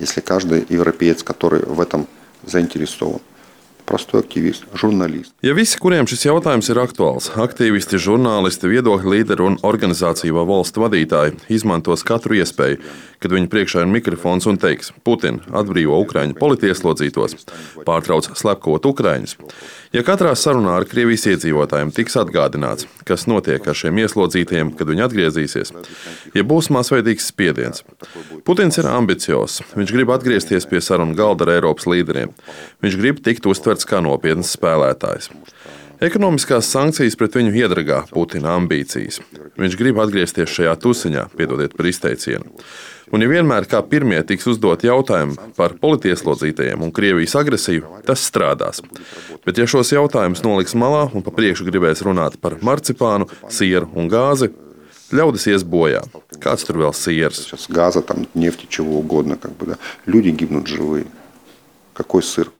если каждый европеец, который в этом заинтересован. Простой aktīvists, žurnālists. Ja visi, kuriem šis jautājums ir aktuāls, aktīvisti, žurnālisti, viedokļu līderi un organizāciju vai valstu vadītāji, izmantos katru iespēju, kad viņu priekšā ir mikrofons un teiks: Putin atbrīvo Ukraiņu politieslodzītos, pārtrauc slepkavot Ukraiņus. Ja katrā sarunā ar Krievijas iedzīvotājiem tiks atgādināts, kas notiek ar šiem ieslodzītajiem, kad viņi atgriezīsies, ja būs masveidīgs spiediens. Putins ir ambiciozs, viņš grib atgriezties pie sarunu galda ar Eiropas līderiem. Viņš grib tikt uztverts kā nopietns spēlētājs. Ekonomiskās sankcijas pret viņu iedragā Putina ambīcijas. Viņš grib atgriezties šajā tusiņā, piedodiet par izteicienu. Un ja vienmēr kā pirmie tiks uzdot jautājumi par politieslodzītajiem un Krievijas agresiju, tas strādās. Bet ja šos jautājumus noliks malā un pa priekšu gribēs runāt par marcipānu, sieru un gāzi, ļaudis ies bojā. Kāds tur vēl siers? Газа, там, нефти, чего угодно. Люди гибнут живые. Какой сыр?